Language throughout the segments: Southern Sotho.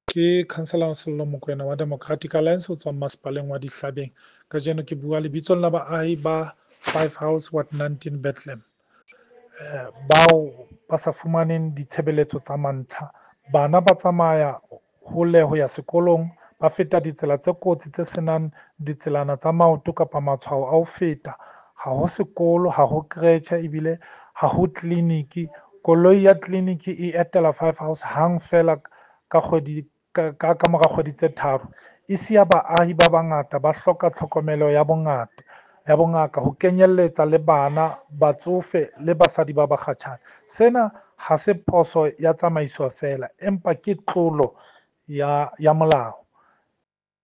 Ke Councillor Sello Mokoena wa Democratic Alliance ho tswa masepaleng wa Dihlabeng. Kajeno ke bua lebitsong la baahi ba Five House Ward 19 Bethlehem. Bao ba sa fumaneng ditshebeletso tsa mantlha. Bana ba tsamaya hole ho ya sekolong, ba feta ditsela tse kotsi tse senang ditselana tsa maoto kapa matshwao a ho feta. Ha ho sekolo, ha ho creche ebile ha ho tleliniki. Koloi ya tleliniki e etela Five House hang feela ka kgwedi ka mora kgwedi tse tharo. E siya baahi ba bangata ba hloka tlhokomelo ya bongata ya bongaka ho kenyelletsa le bana, batsofe le basadi ba bakgatjhane. Sena ha se phoso ya tsamaiso feela, empa ke tlolo ya molao.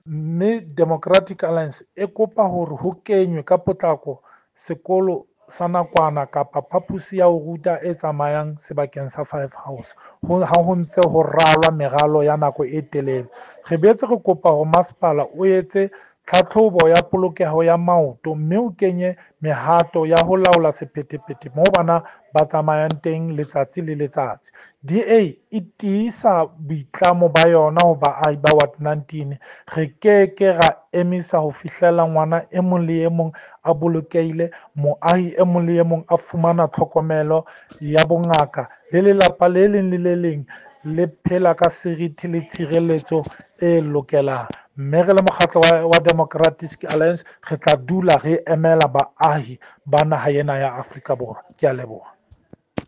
Mme Democratic Alliance e kopa hore ho kenywe ka potlako sekolo sa nakwana kapa phaposi ya ho ruta e tsamayang sebakeng sa Five House ha ho ntse ho ralwa meralo ya nako e telele. Re boetse re kopa hore masepala o etse tlhatlhobo ya polokeho ya maoto mme o kenye mehato ya ho laola sephethephethe moo bana ba tsamayang teng letsatsi le letsatsi. DA e tiisa boitlamo ba yona ho baahi ba Ward 19. Re keke ra emisa ho fihlela ngwana e mong le e mong a bolokehile, moahi e mong le e mong a fumana tlhokomelo ya bongaka le lelapa le leng le le leng le phela ka seriti le tshireletso e lokelang. Mme re le mokgatlo wa Democratic Alliance re tla dula re emela baahi ba naha ena ya Afrika Borwa. Ke a leboha.